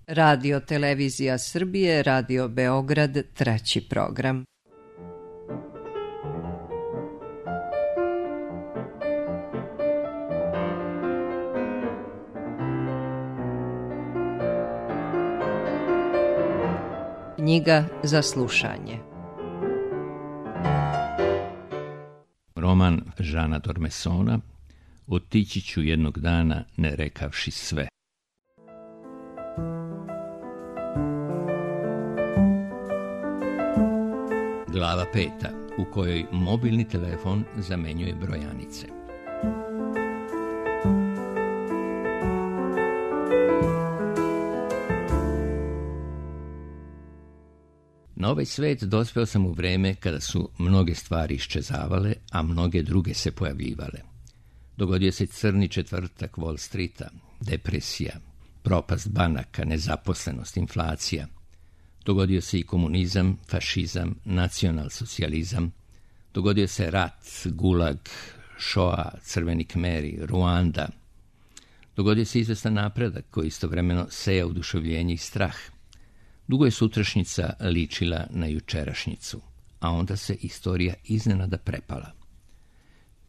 Radio Televizija Srbije, Radio Beograd, treći program. Knjiga za slušanje. Roman Žana Dormesona Otići ću jednog dana ne rekavši sve. Glava 5. u kojoj mobilni telefon zamenjuje brojanice. Na ovaj svet dospeo sam u vreme kada su mnoge stvari iščezavale, a mnoge druge se pojavljivale. Dogodio se crni četvrtak Wall Streeta, depresija, propast banaka, nezaposlenost, inflacija. Dogodio se i komunizam, fašizam, nacionalsocijalizam. Dogodio se rat, gulag, Shoa, crveni Kmeri, Ruanda. Dogodio se izvestan napredak koji istovremeno seja oduševljenje i strah. Dugo je sutrašnjica ličila na jučerašnjicu, a onda se istorija iznenada prepala.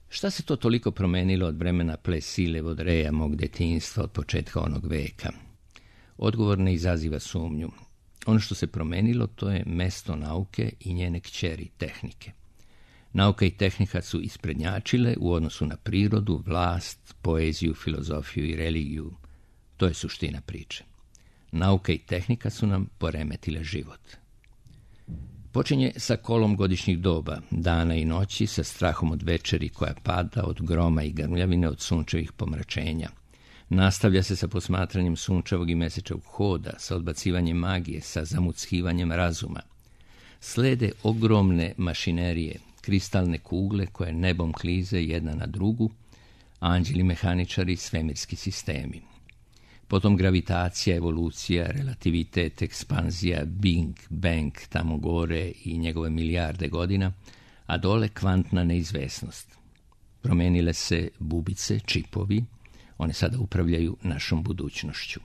Šta se to toliko promenilo od vremena Plessile Vaudreuxa, mog detinjstva od početka onog veka? Odgovor ne izaziva sumnju. Ono što se promenilo, to je mesto nauke i njene kćeri tehnike. Nauka i tehnika su isprednjačile u odnosu na prirodu, vlast, poeziju, filozofiju i religiju. To je suština priče. Nauka i tehnika su nam poremetile život. Počinje sa kolom godišnjih doba, dana i noći, sa strahom od večeri koja pada, od groma i grmljavine, od sunčevih pomračenja. Nastavlja se sa posmatranjem sunčevog i mesečevog hoda, sa odbacivanjem magije, sa zamuckivanjem razuma. Slede ogromne mašinerije, kristalne kugle koje nebom klize jedna na drugu, anđeli mehaničari, svemirski sistemi. Potom gravitacija, evolucija, relativitet, ekspanzija, Big Bang tamo gore i njegove milijarde godina, a dole kvantna neizvesnost. Promenile se bubice, čipovi, one sada upravljaju našom budućnošću.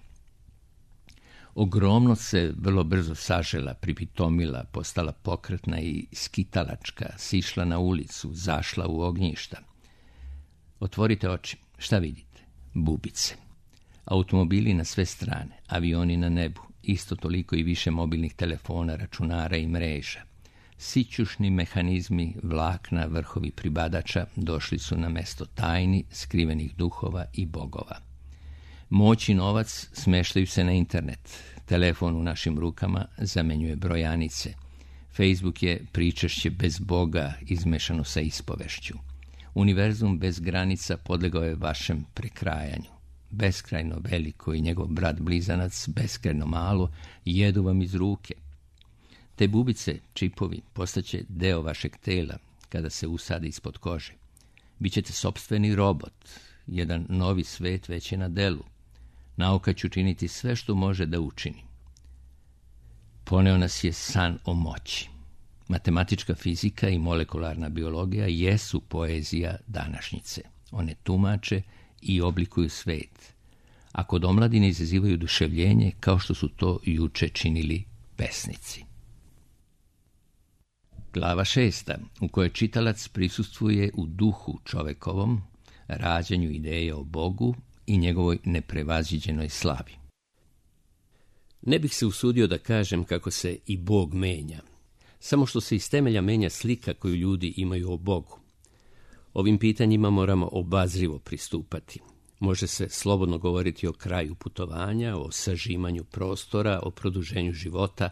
Ogromnost se vrlo brzo sažela, pripitomila, postala pokretna i skitalačka, sišla na ulicu, zašla u ognjišta. Otvorite oči, šta vidite? Bubice. Automobili na sve strane, avioni na nebu, isto toliko i više mobilnih telefona, računara i mreža. Sićušni mehanizmi, vlakna, vrhovi pribadača došli su na mesto tajni, skrivenih duhova i bogova. Moć i novac smeštaju se na internet. Telefon u našim rukama zamenjuje brojanice. Facebook je pričešće bez Boga izmešano sa ispovešću. Univerzum bez granica podlegao je vašem prekrajanju. Beskrajno veliko i njegov brat blizanac, beskrajno malo, jedu vam iz ruke. Te bubice, čipovi, postaće deo vašeg tela kada se usade ispod kože. Bićete sopstveni robot, jedan novi svet već je na delu. Nauka će učiniti sve što može da učini. Poneo nas je san o moći. Matematička fizika i molekularna biologija jesu poezija današnjice. One tumače i oblikuju svet, a kod omladine izazivaju oduševljenje kao što su to juče činili pesnici. Glava 6. u kojoj čitalac prisustvuje u duhu čovekovom, rađanju ideje o Bogu i njegovoj neprevaziđenoj slavi. Ne bih se usudio da kažem kako se i Bog menja, samo što se iz temelja menja slika koju ljudi imaju o Bogu. Ovim pitanjima moramo obazrivo pristupati. Može se slobodno govoriti o kraju putovanja, o sažimanju prostora, o produženju života,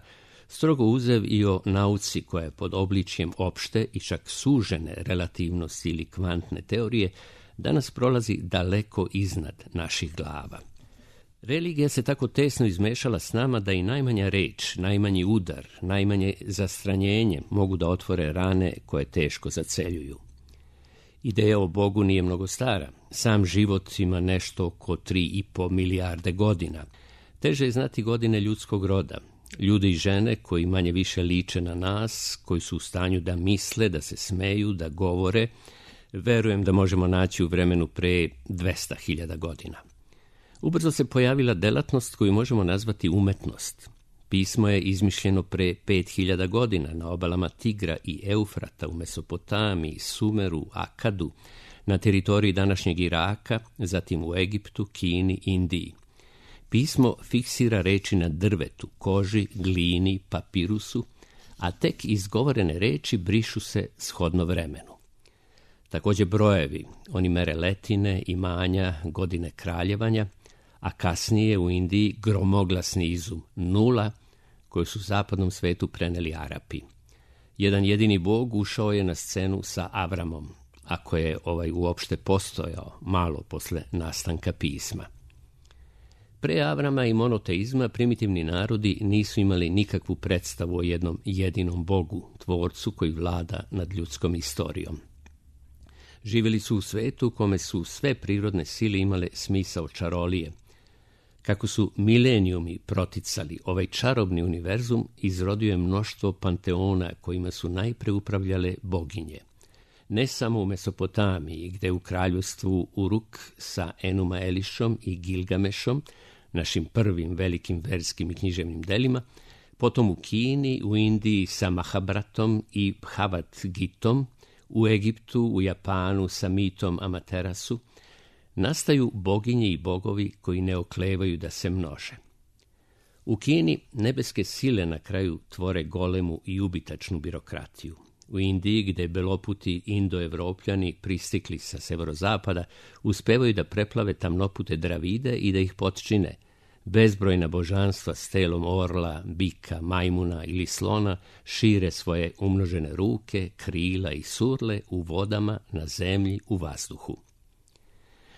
strogo uzev i o nauci koja je pod obličjem opšte i čak sužene relativnosti ili kvantne teorije danas prolazi daleko iznad naših glava. Religija se tako tesno izmešala s nama da i najmanja reč, najmanji udar, najmanje zastranjenje mogu da otvore rane koje teško zaceljuju. Ideja o Bogu nije mnogo stara. Sam život ima nešto oko 3,5 milijarde godina. Teže je znati godine ljudskog roda. Ljude i žene koji manje više liče na nas, koji su u stanju da misle, da se smeju, da govore, verujem da možemo naći u vremenu pre 200.000 godina. Ubrzo se pojavila delatnost koju možemo nazvati umetnost. Pismo je izmišljeno pre 5000 godina na obalama Tigra i Eufrata u Mesopotamiji, Sumeru, Akadu, na teritoriji današnjeg Iraka, zatim u Egiptu, Kini, Indiji. Pismo fiksira reči na drvetu, koži, glini, papirusu, a tek izgovorene reči brišu se shodno vremenu. Također brojevi, oni mere letine, imanja, godine kraljevanja, a kasnije u Indiji gromoglasni izum, nula, koju su zapadnom svetu preneli Arapi. Jedan jedini bog ušao je na scenu sa Avramom, ako je uopšte postojao malo posle nastanka pisma. Pre Avrama i monoteizma primitivni narodi nisu imali nikakvu predstavu o jednom jedinom bogu, tvorcu koji vlada nad ljudskom istorijom. Živjeli su u svetu u kome su sve prirodne sile imale smisao čarolije. Kako su milenijumi proticali ovaj čarobni univerzum, izrodio je mnoštvo panteona kojima su najpre upravljale boginje. Ne samo u Mesopotamiji, gde u kraljevstvu Uruk sa Enuma Elišom i Gilgamešom, našim prvim velikim verskim i književnim delima, potom u Kini, u Indiji sa Mahabratom i Bhavat Gitom, u Egiptu, u Japanu sa mitom Amaterasu, nastaju boginje i bogovi koji ne oklevaju da se množe. U Kini nebeske sile na kraju tvore golemu i ubitačnu birokratiju. U Indiji, gde beloputi indoevropljani pristikli sa severozapada, uspevaju da preplave tamnopute Dravide i da ih potčine. Bezbrojna božanstva s telom orla, bika, majmuna ili slona šire svoje umnožene ruke, krila i surle u vodama, na zemlji, u vazduhu.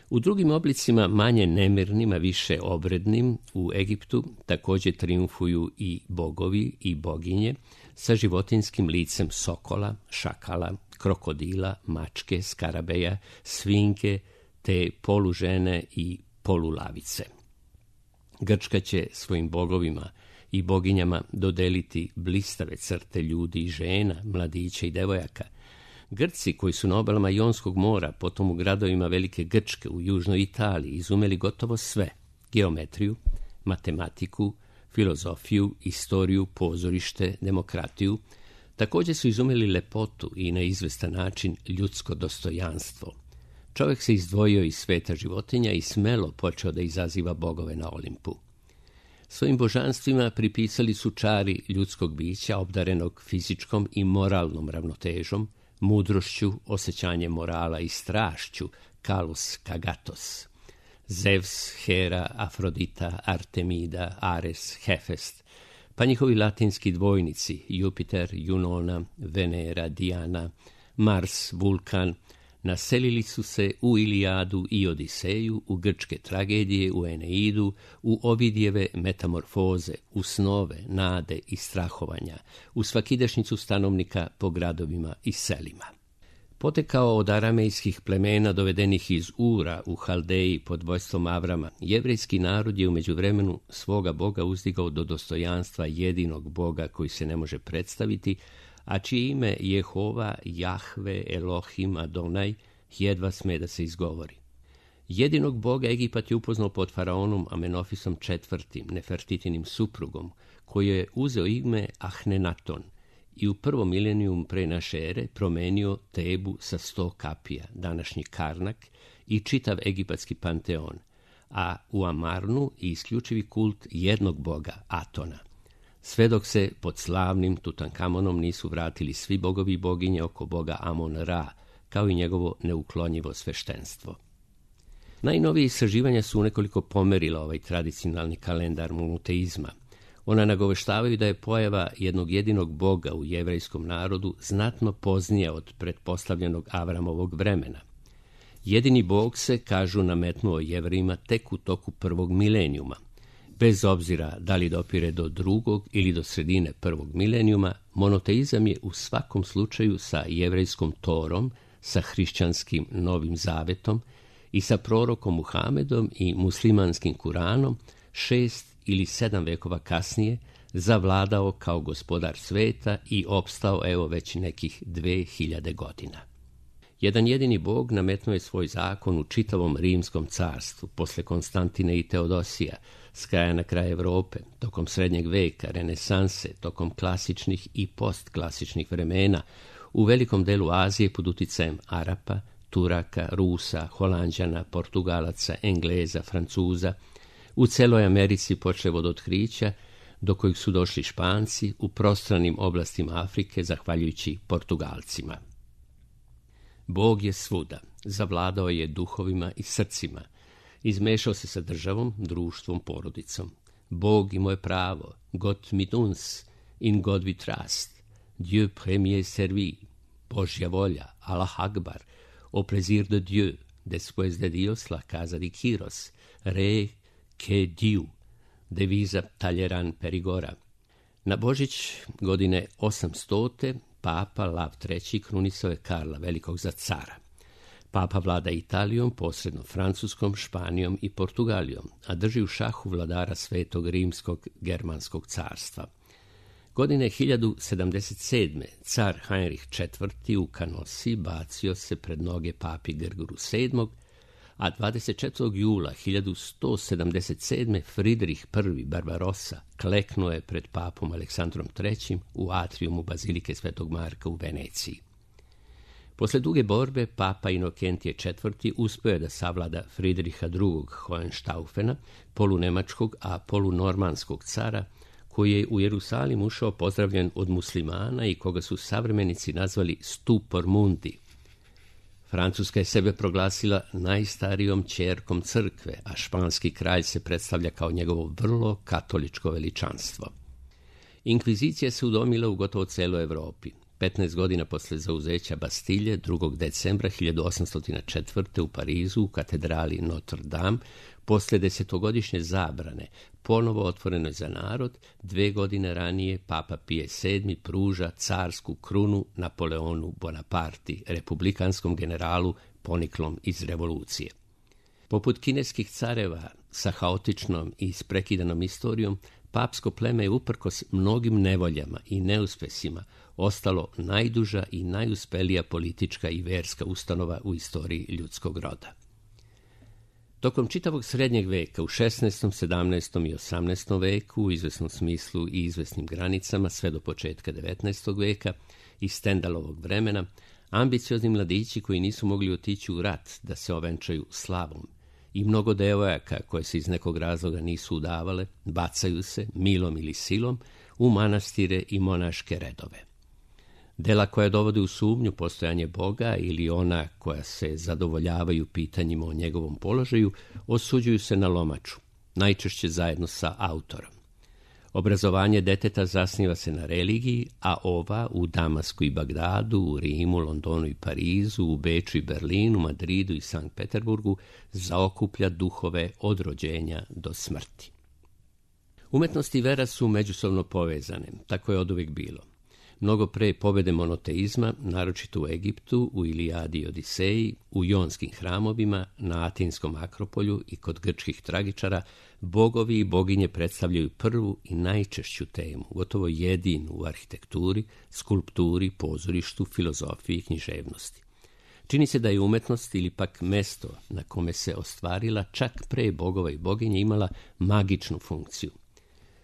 U drugim oblicima, manje nemirnim, a više obrednim, u Egiptu također triumfuju i bogovi i boginje sa životinskim licem sokola, šakala, krokodila, mačke, skarabeja, svinjke te polužene i polulavice. Grčka će svojim bogovima i boginjama dodeliti blistave crte ljudi i žena, mladića i devojaka. Grci koji su na obalama Jonskog mora, potom u gradovima Velike Grčke u južnoj Italiji, izumeli gotovo sve: geometriju, matematiku, filozofiju, istoriju, pozorište, demokratiju. Također su izumeli lepotu i na izvestan način ljudsko dostojanstvo. Čovjek se izdvojio iz sveta životinja i smelo počeo da izaziva bogove na Olimpu. Svojim božanstvima pripisali su čari ljudskog bića obdarenog fizičkom i moralnom ravnotežom, mudrošću, osjećanjem morala i strašću, Kalus Kagatos. Zevs, Hera, Afrodita, Artemida, Ares, Hefest, pa njihovi latinski dvojnici Jupiter, Junona, Venera, Diana, Mars, Vulkan, naselili su se u Ilijadu i Odiseju, u grčke tragedije, u Eneidu, u Ovidijeve metamorfoze, u snove, nade i strahovanja, u svakidašnjicu stanovnika po gradovima i selima. Potekao od aramejskih plemena dovedenih iz Ura u Haldeji pod vojstvom Avrama, jevrejski narod je u međuvremenu svoga boga uzdigao do dostojanstva jedinog boga koji se ne može predstaviti, a čije ime Jehova, Jahve, Elohim, Adonaj jedva sme da se izgovori. Jedinog boga Egipat je upoznao pod faraonom Amenofisom IV, Nefertitinim suprugom, koji je uzeo ime Ahnenaton i u prvom milenijum pre naše ere promenio Tebu sa 100 kapija, današnji Karnak, i čitav egipatski panteon, a u Amarnu i isključivi kult jednog boga, Atona. Sve dok se pod slavnim Tutankamonom nisu vratili svi bogovi i boginje oko boga Amon-Ra, kao i njegovo neuklonjivo sveštenstvo. Najnovije istraživanja su unekoliko pomerila ovaj tradicionalni kalendar monoteizma. Ona nagoveštavaju da je pojava jednog jedinog boga u jevrejskom narodu znatno poznija od pretpostavljenog Avramovog vremena. Jedini bog se, kažu, nametnuo Jevrejima tek u toku prvog milenijuma. Bez obzira da li dopire do drugog ili do sredine prvog milenijuma, monoteizam je u svakom slučaju sa jevrejskom Torom, sa hrišćanskim Novim Zavetom i sa prorokom Muhamedom i muslimanskim Kuranom 6 ili 7 vekova kasnije zavladao kao gospodar sveta i opstao evo već nekih 2000 godina. Jedan jedini Bog nametnuo je svoj zakon u čitavom Rimskom carstvu, posle Konstantine i Teodosija, s kraja na kraj Evrope, tokom Srednjeg veka, Renesanse, tokom klasičnih i postklasičnih vremena, u velikom delu Azije pod uticajem Arapa, Turaka, Rusa, Holanđana, Portugalaca, Engleza, Francuza, u celoj Americi počev od otkrića, do kojih su došli Španci u prostranim oblastima Afrike, zahvaljujući Portugalcima. Bog je svuda, zavladao je duhovima i srcima, izmešao se sa državom, društvom, porodicom. Bog imao je pravo, Gott mit uns, in God we trust, Dieu premier servi, Božja volja, Allah Akbar, au plaisir de Dieu, después de Dios la casa di Quiros, re que Dieu, deviza Talleyrand Perigora. Na Božić godine 800. Papa Lav III. Krunisao je Karla Velikog za cara. Papa vlada Italijom, posredno Francuskom, Španijom i Portugalijom, a drži u šahu vladara Svetog Rimskog Germanskog carstva. Godine 1077. car Heinrich IV. U Canosi bacio se pred noge papi Grgoru VII., a 24. jula 1177. Fridrih I. Barbarossa kleknuo je pred papom Aleksandrom III. U atrijumu Bazilike Svetog Marka u Veneciji. Posle duge borbe, papa Inokentije IV. Uspeo je da savlada Fridriha II. Hohenstaufena, polunemačkog, a polunormanskog cara, koji je u Jerusalim ušao pozdravljen od muslimana i koga su savremenici nazvali Stupor Mundi. Francuska je sebe proglasila najstarijom ćerkom crkve, a španski kralj se predstavlja kao njegovo vrlo katoličko veličanstvo. Inkvizicija se udomila u gotovo celoj Evropi. 15 godina posle zauzeća Bastilje, 2. decembra 1804. u Parizu, u katedrali Notre Dame, posle 10-godišnje zabrane, ponovo otvoreno za narod, 2 godine ranije Papa Pije VII. Pruža carsku krunu Napoleonu Bonaparti, republikanskom generalu poniklom iz revolucije. Poput kineskih careva sa haotičnom i isprekidanom istorijom, papsko pleme je uprkos mnogim nevoljama i neuspesima ostalo najduža i najuspelija politička i verska ustanova u istoriji ljudskog roda. Tokom čitavog srednjeg veka, u 16., 17. i 18. veku, u izvesnom smislu i izvesnim granicama, sve do početka 19. veka i Stendalovog vremena, ambiciozni mladići koji nisu mogli otići u rat da se ovenčaju slavom i mnogo devojaka koje se iz nekog razloga nisu udavale, bacaju se, milom ili silom, u manastire i monaške redove. Dela koja dovode u sumnju postojanje Boga ili ona koja se zadovoljavaju pitanjima o njegovom položaju, osuđuju se na lomaču, najčešće zajedno sa autorom. Obrazovanje deteta zasniva se na religiji, a ova u Damasku i Bagdadu, u Rimu, Londonu i Parizu, u Beču i Berlinu, Madridu i Sankt Peterburgu zaokuplja duhove od rođenja do smrti. Umetnost i vera su međusobno povezane, tako je oduvijek bilo. Mnogo pre pobede monoteizma, naročito u Egiptu, u Ilijadi i Odiseji, u jonskim hramovima, na Atinskom Akropolju i kod grčkih tragičara, bogovi i boginje predstavljaju prvu i najčešću temu, gotovo jedinu u arhitekturi, skulpturi, pozorištu, filozofiji i književnosti. Čini se da je umetnost ili pak mesto na kome se ostvarila čak pre bogova i boginje imala magičnu funkciju.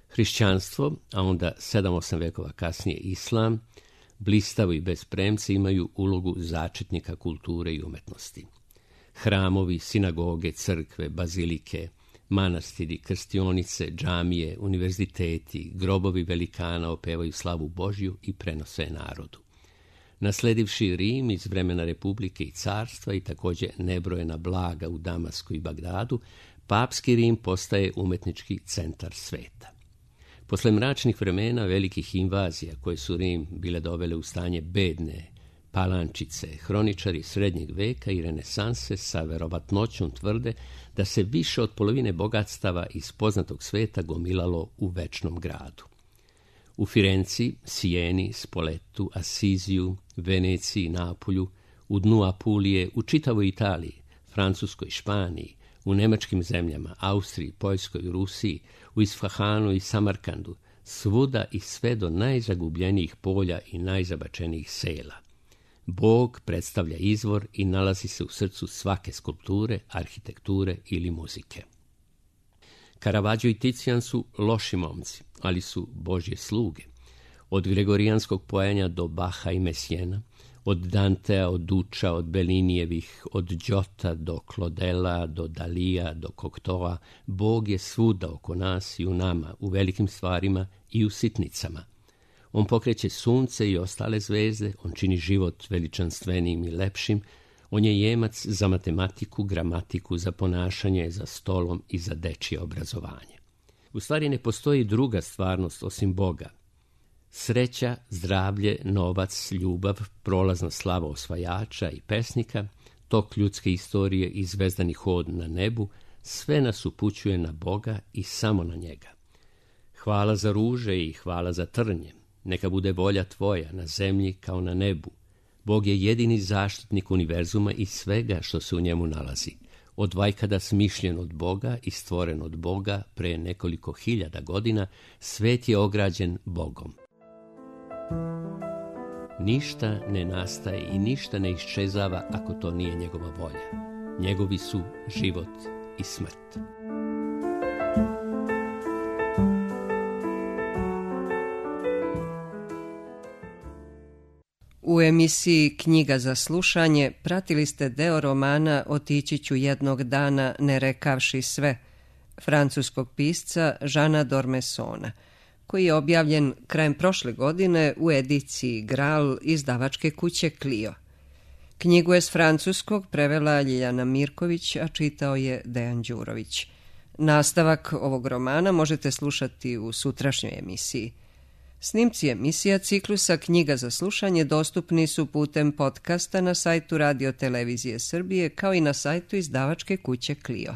Hrišćanstvo, a onda 7-8 vekova kasnije islam, blistavo i bez premca imaju ulogu začetnika kulture i umetnosti. Hramovi, sinagoge, crkve, bazilike, manastiri, krstionice, džamije, univerziteti, grobovi velikana opevaju slavu Božju i prenose je narodu. Nasledivši Rim iz vremena Republike i carstva i također nebrojena blaga u Damasku i Bagdadu, papski Rim postaje umetnički centar sveta. Posle mračnih vremena, velikih invazija koje su Rim bile dovele u stanje bedne palančice, hroničari srednjeg veka i renesanse sa verovatnoćom tvrde da se više od polovine bogatstava iz poznatog sveta gomilalo u večnom gradu. U Firenci, Sijeni, Spoletu, Asiziju, Veneciji, Napolju, u dnu Apulije, u čitavoj Italiji, Francuskoj, Španiji, u nemačkim zemljama, Austriji, Poljskoj, Rusiji, u Isfahanu i Samarkandu, svuda i sve do najzagubljenijih polja i najzabačenijih sela. Bog predstavlja izvor i nalazi se u srcu svake skulpture, arhitekture ili muzike. Caravaggio i Ticijan su loši momci, ali su Božje sluge. Od gregorijanskog pojenja do Baha i Mesijena, od Dantea, od Duča, od Bellinijevih, od Đota do Claudela, do Dalija, do Cocteau, Bog je svuda oko nas i u nama, u velikim stvarima i u sitnicama. On pokreće sunce i ostale zvezde, on čini život veličanstvenijim i lepšim, on je jemac za matematiku, gramatiku, za ponašanje, za stolom i za dečije obrazovanje. U stvari ne postoji druga stvarnost osim Boga. Sreća, zdravlje, novac, ljubav, prolazna slava osvajača i pesnika, tok ljudske istorije i zvezdani hod na nebu, sve nas upućuje na Boga i samo na njega. Hvala za ruže i hvala za trnje. Neka bude volja tvoja na zemlji kao na nebu. Bog je jedini zaštitnik univerzuma i svega što se u njemu nalazi. Od vajkada smišljen od Boga i stvoren od Boga pre nekoliko hiljada godina, svet je ograđen Bogom. Ništa ne nastaje i ništa ne iščezava ako to nije njegova volja. Njegovi su život i smrt. U emisiji Knjiga za slušanje pratili ste deo romana Otići ću jednog dana ne rekavši sve, francuskog pisca Žana Dormesona, koji je objavljen krajem prošle godine u ediciji Graal izdavačke kuće Clio. Knjigu je s francuskog prevela Ljiljana Mirković, a čitao je Dejan Đurović. Nastavak ovog romana možete slušati u sutrašnjoj emisiji. Snimci emisija ciklusa Knjiga za slušanje dostupni su putem podcasta na sajtu Radio Televizije Srbije kao i na sajtu izdavačke kuće Clio.